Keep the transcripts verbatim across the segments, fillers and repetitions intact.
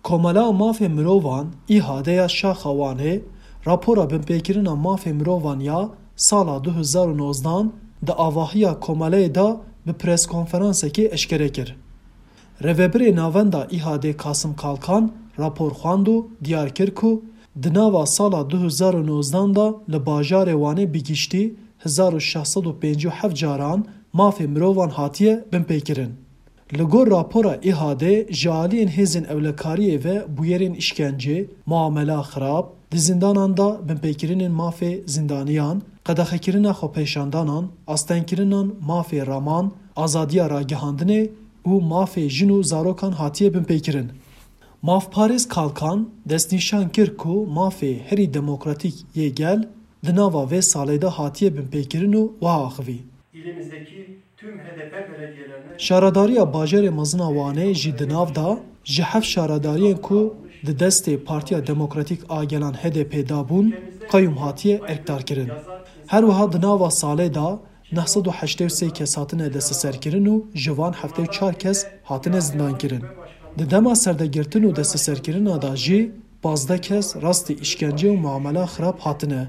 Komela Mafê Mirovan, İHA'de ya Şaxa Wanê, rapora binpêkirina mafê mirovan ya sala du hezar û nozdan di avahiya komeleyê de bi preskonferansekê eşkere kir. Rêvebirê Navenda İHA'de Kasım Kalkan rapor xwend û diyar kir ku di nava sala du hezar û nozdan de li bajarê Wanê bi giştî hezar û şeş sed û pêncî û heft caran mafê mirovan hatiye binpêkirin. Li gor rapora İHA'de ji aliyên hêzên ewlekariyê ve bûyerên îşkencê, muamela xirab, di zindanan de binpêkirinên mafê zindaniyan, qedexekirina xwepêşandanan, astengkirinan mafê raman, azadiya ragihandinê û mafê jin û zarokan hatiye binpêkirin. Mafparêz Kalkan destnîşan kir ku mafê herî demokratîk yê gel di nava vê salê de hatiye binpêkirin û wiha axivî. İlimizdeki tüm H D P belediyelerine Şaredariya bajarê mezin a Wanê jî di nav de ji heft şaredariyên ku di destê Partiya Demokratîk a Gelan H D P de bûn, qeyûm hatiye erkdarkirin. Her wiha di nava salê de neh sed û heştê û sê kes hatine desteserkirin û ji van heftê û çar kes hatine zindankirin. Di dema serdegirtin û desteserkirina de jî pazdeh kes rastî îşkence û muamela xirab hatine.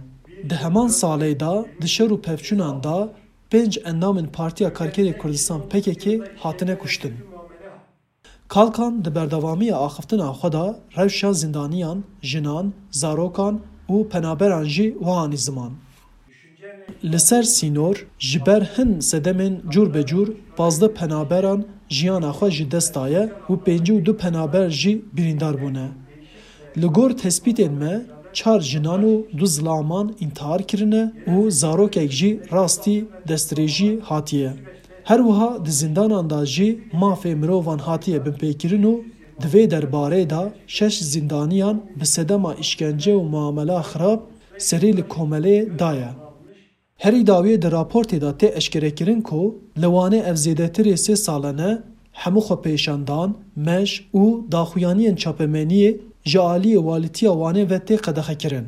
Di heman salê de di şer û pevçûnan de pênc endamên Partiya Karkerê Kurdistan P K K hatine kuştin. Kalkan di berdewamiya axiftina xwe de rewşa zindaniyan, jinan, zarokan û penaberan jî wiha anî ziman. Li ser sînor ji ber hin sedemên cûr be cûr pazdeh penaberan jiyana xwe ji dest daye û pêncî û du penaber jî birîndar bûne. Li gor tespîtên me, çar jinan û du zilaman întihar kirine û zarokek jî rastî destdirêjî hatiye. Her wiha di zindanan de jî mafê mirovan hatiye binpêkirin û di vê derbarê de şeş zindaniyan bi sedema îşkence û muamela xirab serî li komeleyê daye. Herî dawiyê di raportê de tê eşkerekirin ku li Wanê ev zêdetirê sê salene hemû xwepêşandan, meş û daxuyaniyên çapemeniyê ji aliyê Walîtiya Wanê ve tê qedexekirin.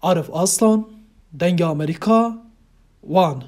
Arif Aslan, Dengê Amerîka, Wan.